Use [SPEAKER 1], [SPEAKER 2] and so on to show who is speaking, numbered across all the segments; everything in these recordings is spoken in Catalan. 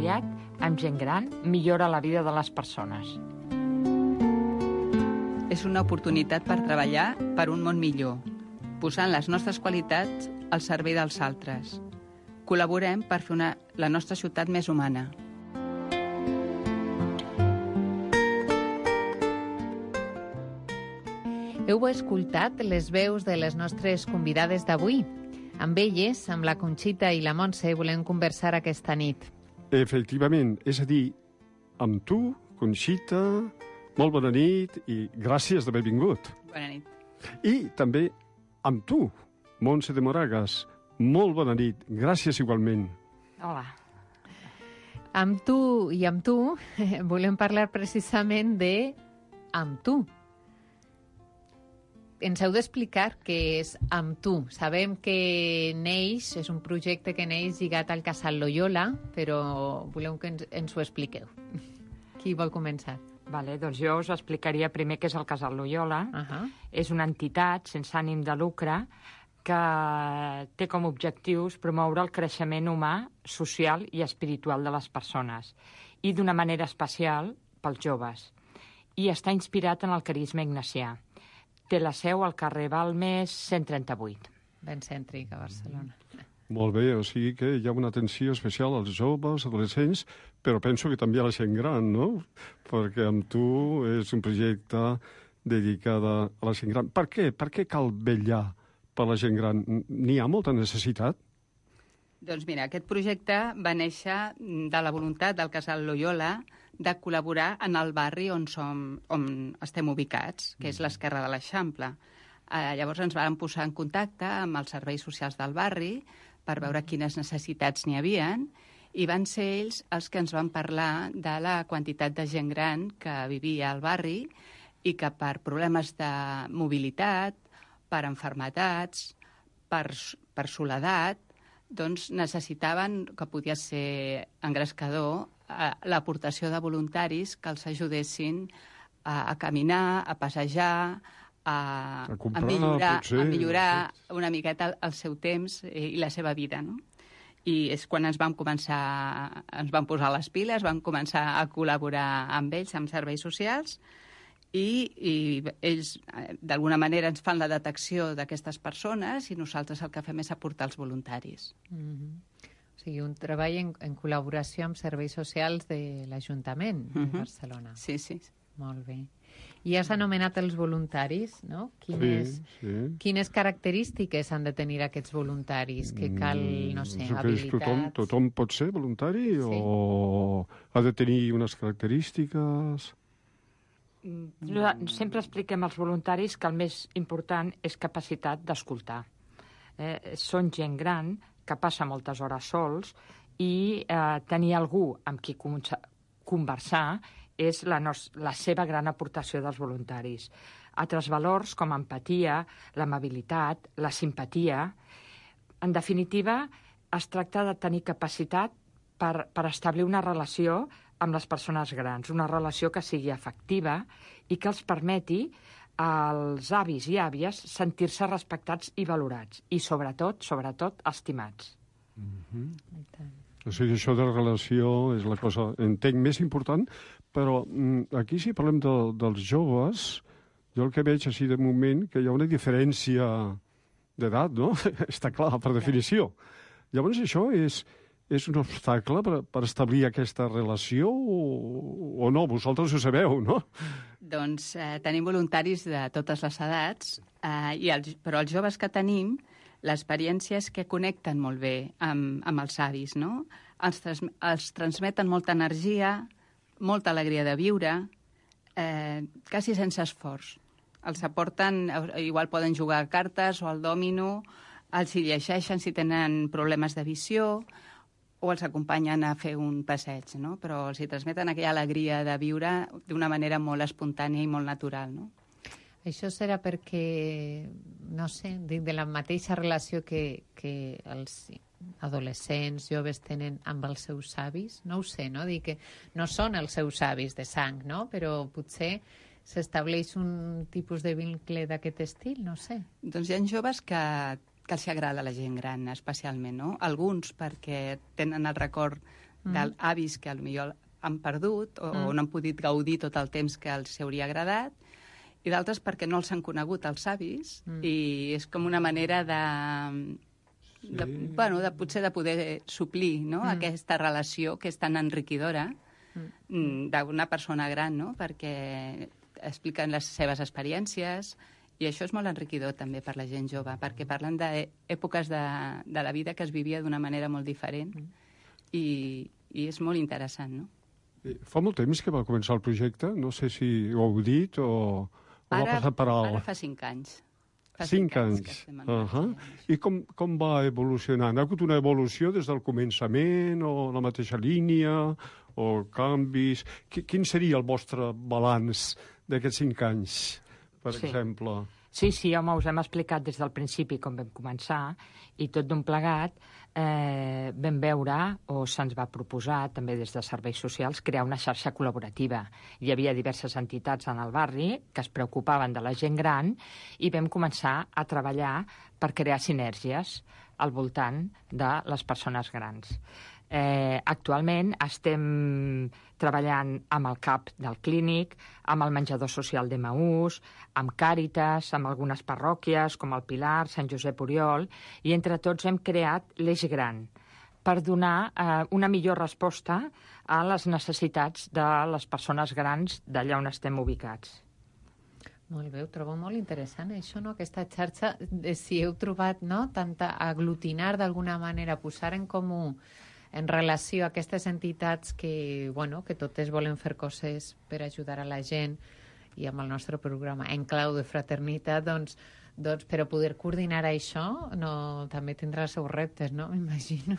[SPEAKER 1] voluntariat amb gent gran millora la vida de les persones.
[SPEAKER 2] És una oportunitat per treballar per un món millor, posant les nostres qualitats al servei dels altres. Col·laborem per fer la nostra ciutat més humana.
[SPEAKER 3] Heu escoltat les veus de les nostres convidades d'avui. Amb elles, amb la Conxita i la Montse, volem conversar aquesta nit.
[SPEAKER 4] Efectivament, és a dir, amb tu, Conxita, molt bona nit i gràcies d'haver vingut.
[SPEAKER 2] Bona nit.
[SPEAKER 4] I també amb tu, Montse de Moragas, molt bona nit, gràcies igualment.
[SPEAKER 1] Hola.
[SPEAKER 3] Amb tu i amb tu volem parlar precisament de amb tu. Ens heu d'explicar què és Amb tu. Sabem que neix, és un projecte que neix lligat al Casal Loyola, però voleu que ens ho expliqueu. Qui vol començar?
[SPEAKER 1] Vale, doncs jo us explicaria primer què és el Casal Loyola. És una entitat sense ànim de lucre que té com a objectius promoure el creixement humà, social i espiritual de les persones, i d'una manera especial pels joves. I està inspirat en el carisma ignacià. Té la seu al carrer Balmes 138.
[SPEAKER 3] Ben cèntric a Barcelona.
[SPEAKER 4] Molt bé, o sigui que hi ha una atenció especial als joves, adolescents, però penso que també a la gent gran, no? Perquè amb tu és un projecte dedicat a la gent gran. Per què? Per què cal vetllar per la gent gran? N'hi ha molta necessitat?
[SPEAKER 2] Doncs mira, aquest projecte va néixer de la voluntat del Casal Loyola de col·laborar en el barri on estem ubicats, que és l'Esquerra de l'Eixample. Llavors ens vam posar en contacte amb els serveis socials del barri per veure quines necessitats n'hi havien, i van ser ells els que ens van parlar de la quantitat de gent gran que vivia al barri i que per problemes de mobilitat, per malalties, per soledat, doncs necessitaven, que podia ser engrescador, l'aportació de voluntaris que els ajudessin a caminar, a passejar, a millorar una miqueta el seu temps i la seva vida, no? I és quan ens vam posar les piles, vam començar a col·laborar amb ells, amb serveis socials, i ells d'alguna manera ens fan la detecció d'aquestes persones i nosaltres el que fem és aportar els voluntaris.
[SPEAKER 3] O sigui, un treball en col·laboració amb serveis socials de l'Ajuntament de Barcelona.
[SPEAKER 2] Sí, sí.
[SPEAKER 3] Molt bé. I has anomenat els voluntaris, no? Quines característiques han de tenir aquests voluntaris? Que cal, no sé, habilitats...
[SPEAKER 4] Tothom pot ser voluntari o ha de tenir unes característiques...
[SPEAKER 1] Sempre expliquem als voluntaris que el més important és capacitat d'escoltar. Són gent gran que passa moltes hores sols i tenir algú amb qui conversar és la seva gran aportació dels voluntaris. Altres valors com empatia, l'amabilitat, la simpatia... En definitiva, es tracta de tenir capacitat per establir una relació amb les persones grans, una relació que sigui afectiva i que els permeti als avis i àvies sentir-se respectats i valorats, i sobretot, estimats.
[SPEAKER 4] O sigui, això de la relació és la cosa, entenc, més important, però aquí si parlem dels joves, jo el que veig així de moment que hi ha una diferència d'edat, no? Està clar, per definició. Llavors això és un obstacle per establir aquesta relació o no? Vosaltres ho sabeu, no?
[SPEAKER 2] Doncs tenim voluntaris de totes les edats, però els joves que tenim, l'experiència és que connecten molt bé amb els avis, no? Els transmeten molta energia, molta alegria de viure, quasi sense esforç. Els aporten, igual poden jugar a cartes o al dòmino, els hi llegeixen si tenen problemes de visió, o els acompanyen a fer un passeig, no? Però els hi transmeten aquella alegria de viure d'una manera molt espontània i molt natural, no?
[SPEAKER 3] Això serà perquè, no sé, de la mateixa relació que els adolescents, joves tenen amb els seus avis, no ho sé, no? Dir que no són els seus avis de sang, no? Però potser s'estableix un tipus de vincle d'aquest estil, no sé.
[SPEAKER 2] Doncs hi ha joves que els agrada la gent gran, especialment, no? Alguns perquè tenen el record d'avis que potser han perdut o no han pogut gaudir tot el temps que els hauria agradat, i d'altres perquè no els han conegut els avis, i és com una manera potser de poder suplir, no? Aquesta relació que és tan enriquidora d'una persona gran, no? Perquè expliquen les seves experiències, i això és molt enriquidor també per la gent jove, perquè parlen d'èpoques de la vida que es vivia d'una manera molt diferent, i és molt interessant, no?
[SPEAKER 4] Fa molt temps que va començar el projecte? No sé si ho heu dit o va passar per alt.
[SPEAKER 2] Ara fa 5 anys.
[SPEAKER 4] Fa 5 anys. I com va evolucionar? Ha hagut una evolució des del començament, o la mateixa línia, o canvis? Quin seria el vostre balanç d'aquests 5 anys, per exemple?
[SPEAKER 1] Sí, home, us hem explicat des del principi com vam començar, i tot d'un plegat vam veure, o se'ns va proposar, també des de serveis socials, crear una xarxa col·laborativa. Hi havia diverses entitats en el barri que es preocupaven de la gent gran, i vam començar a treballar per crear sinergies al voltant de les persones grans. Actualment estem treballant amb el CAP del Clínic, amb el menjador social d'Emaús, amb Càritas, amb algunes parròquies com el Pilar, Sant Josep Oriol, i entre tots hem creat l'Eix Gran per donar una millor resposta a les necessitats de les persones grans d'allà on estem ubicats.
[SPEAKER 3] Molt bé, ho trobo molt interessant, això, no? Aquesta xarxa, si heu trobat, no?, tant aglutinar d'alguna manera, posar en comú en relació a aquestes entitats que totes volen fer coses per ajudar a la gent, i amb el nostre programa En Clau de Fraternitat, doncs per a poder coordinar això també tindrà els seus reptes, no? M'imagino.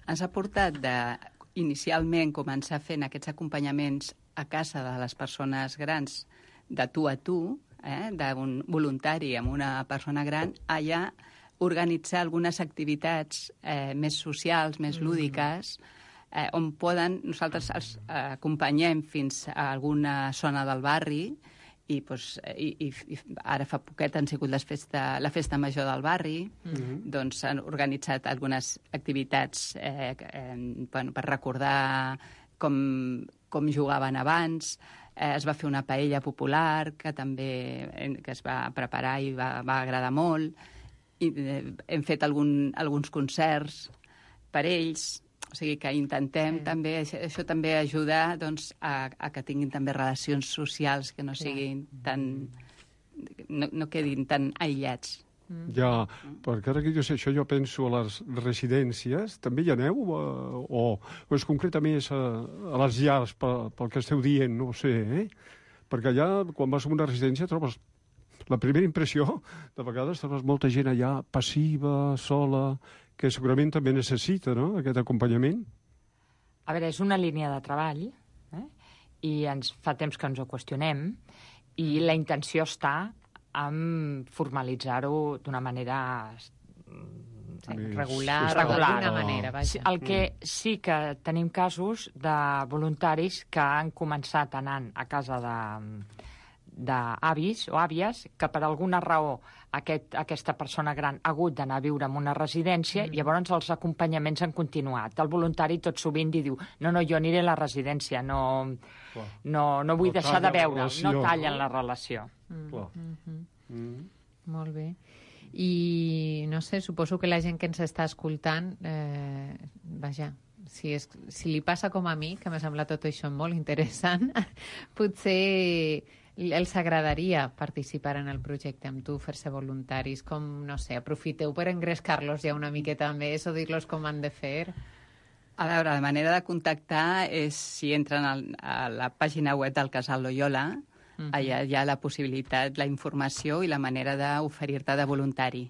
[SPEAKER 2] Ens ha portat inicialment començar fent aquests acompanyaments a casa de les persones grans de tu a tu, d'un voluntari amb una persona gran, allà organitzar algunes activitats més socials, més lúdiques, on nosaltres els acompanyem fins a alguna zona del barri, i ara fa poquet han sigut la festa major del barri, doncs han organitzat algunes activitats per recordar com jugaven abans. Es va fer una paella popular que es va preparar i va agradar molt, i hem fet alguns concerts per ells, o sigui que intentem també, això també ajuda doncs, a que tinguin també relacions socials que no siguin no quedin tan aïllats.
[SPEAKER 4] Ja, perquè ara que jo sé això, jo penso a les residències, també hi aneu? O és concreta més a les llars, pel que esteu dient, no ho sé, Perquè allà, quan vas a una residència, trobes la primera impressió, de vegades trobes molta gent allà passiva, sola, que segurament també necessita, no?, aquest acompanyament.
[SPEAKER 1] A veure, és una línia de treball, i fa temps que ens ho qüestionem, i la intenció està en formalitzar-ho d'una manera
[SPEAKER 3] regular, d'alguna manera, vaja.
[SPEAKER 1] El que sí que tenim casos de voluntaris que han començat anant a casa d'avis o àvies, que per alguna raó aquesta persona gran ha hagut d'anar a viure en una residència, i llavors els acompanyaments han continuat. El voluntari tot sovint diu, no, jo aniré a la residència, no vull deixar de veure'l, no tallen la relació.
[SPEAKER 3] Molt bé. I, no sé, suposo que la gent que ens està escoltant, vaja, si li passa com a mi, que m'ha semblat tot això molt interessant, potser els agradaria participar en el projecte amb tu, fer-se voluntaris, com, no sé, aprofiteu per engrescar-los ja una miqueta més o dir-los com han de fer.
[SPEAKER 2] A veure, la manera de contactar és si entren a la pàgina web del Casal Loyola, allà hi ha la possibilitat, la informació i la manera d'oferir-te de voluntari.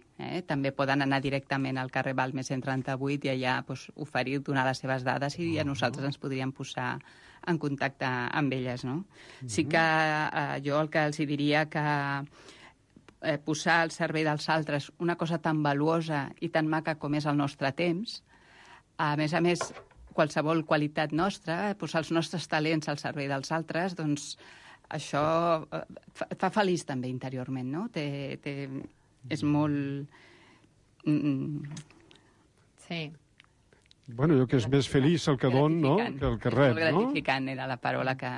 [SPEAKER 2] També poden anar directament al carrer Balmes 138 i allà oferir, donar les seves dades, i a nosaltres ens podríem posar en contacte amb elles, no? Sí que jo el que els diria que posar al servei dels altres una cosa tan valuosa i tan maca com és el nostre temps, a més, qualsevol qualitat nostra, posar els nostres talents al servei dels altres, doncs això fa feliç també interiorment, no? És molt...
[SPEAKER 3] Sí.
[SPEAKER 4] Bueno, jo que és més feliç el que don, no?, que el que rep,
[SPEAKER 2] no? Gratificant era la paraula que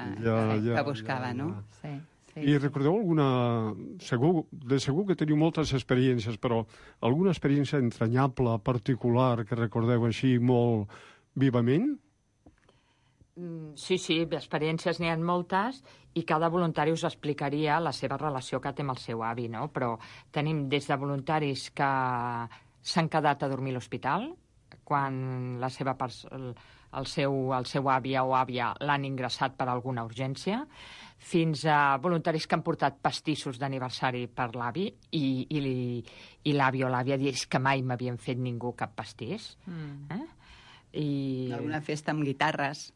[SPEAKER 2] buscava, no?
[SPEAKER 3] Sí.
[SPEAKER 4] I recordeu alguna... De segur que teniu moltes experiències, però alguna experiència entranyable, particular, que recordeu així molt vivament?
[SPEAKER 1] Sí, experiències n'hi ha moltes i cada voluntari us explicaria la seva relació que té amb el seu avi, no? Però tenim des de voluntaris que s'han quedat a dormir a l'hospital quan el seu àvia o àvia l'han ingressat per alguna urgència, fins a voluntaris que han portat pastissos d'aniversari per l'avi i l'avi o l'àvia dius que mai m'havien fet ningú cap pastís.
[SPEAKER 2] Alguna festa amb guitarres.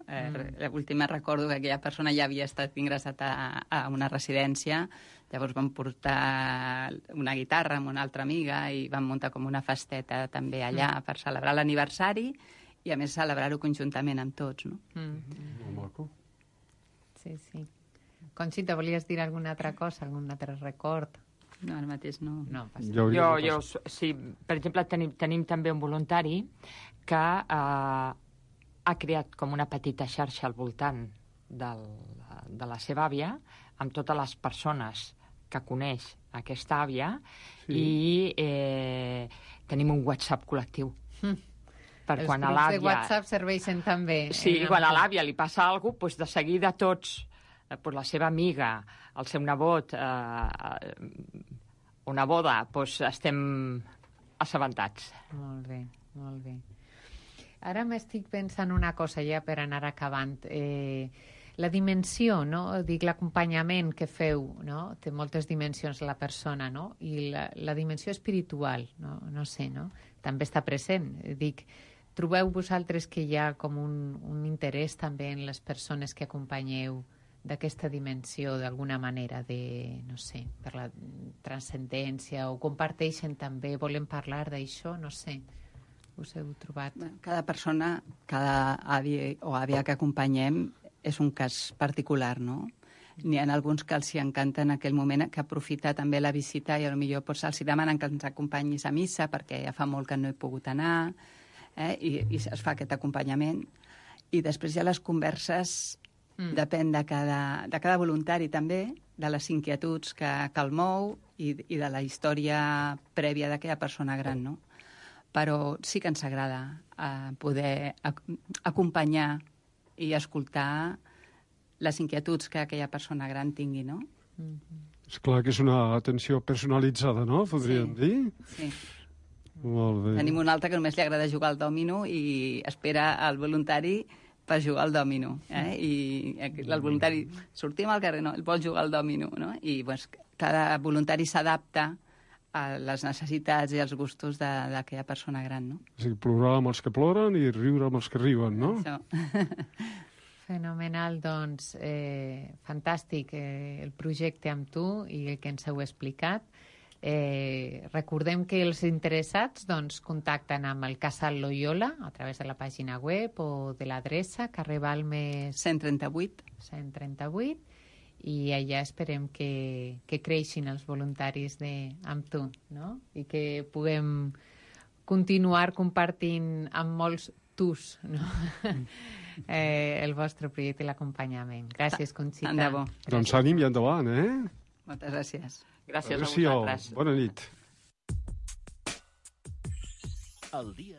[SPEAKER 2] L'última recordo que aquella persona ja havia estat ingressat a una residència, llavors van portar una guitarra amb una altra amiga i van muntar com una festeta també allà per celebrar l'aniversari i a més celebrar-ho conjuntament amb tots, no?
[SPEAKER 4] Molt maco.
[SPEAKER 3] Sí. Conxita, volies dir alguna altra cosa, algun altre record?
[SPEAKER 2] No, ara mateix no.
[SPEAKER 1] Jo, sí, per exemple, tenim també un voluntari que ha creat com una petita xarxa al voltant de la seva àvia, amb totes les persones que coneix aquesta àvia, i tenim un WhatsApp col·lectiu. Per
[SPEAKER 3] Els
[SPEAKER 1] quan a
[SPEAKER 3] grups
[SPEAKER 1] l'àvia...
[SPEAKER 3] de WhatsApp serveixen també.
[SPEAKER 1] Sí, quan a l'àvia li passa alguna cosa, de seguida tots, la seva amiga, el seu nebot, una boda, estem assabentats.
[SPEAKER 3] Molt bé. Ara m'estic pensant una cosa ja per anar acabant. La dimensió, no? Dic, l'acompanyament que feu, no? Té moltes dimensions la persona, no? I la dimensió espiritual, no sé, no? També està present. Dic, trobeu vosaltres que hi ha com un interès també en les persones que acompanyeu d'aquesta dimensió, d'alguna manera, no sé, per la transcendència, o comparteixen també, volen parlar d'això, no sé, us heu trobat?
[SPEAKER 2] Cada persona, cada avi o àvia que acompanyem és un cas particular, no? N'hi ha alguns que els hi encanta en aquell moment, que aprofita també la visita i potser els demanen que ens acompanyis a missa perquè ja fa molt que no he pogut anar, i es fa aquest acompanyament. I després hi ha les converses. Depèn de cada voluntari també, de les inquietuds que el mou i de la història prèvia d'aquella persona gran, no? Però sí que ens agrada poder acompanyar i escoltar les inquietuds que aquella persona gran tingui, no?
[SPEAKER 4] És clar que és una atenció personalitzada, no? Podríem dir?
[SPEAKER 2] Sí.
[SPEAKER 4] Molt bé.
[SPEAKER 2] Tenim un altre que només li agrada jugar al dòmino i espera el voluntari per jugar al dòmino, i el voluntari sortim al carrer, no, vol jugar al dòmino, no? I cada voluntari s'adapta a les necessitats i als gustos d'aquella persona gran, no?
[SPEAKER 4] O sigui, plorar amb els que ploren i riure amb els que riuen, no?
[SPEAKER 2] Això.
[SPEAKER 3] Fenomenal, doncs, fantàstic el projecte amb tu i el que ens heu explicat. Recordem que els interessats contacten amb el Casal Loyola a través de la pàgina web o de l'adreça carrer Balmes 138 i allà esperem que creixin els voluntaris amb tu, no? I que puguem continuar compartint amb molts tus, no? El vostre projecte i l'acompanyament. Gràcies, Conxita.
[SPEAKER 2] Tant de bo.
[SPEAKER 4] Doncs ànim i endavant,
[SPEAKER 2] Moltes gràcies.
[SPEAKER 1] Gràcies a vosaltres.
[SPEAKER 4] Bona nit.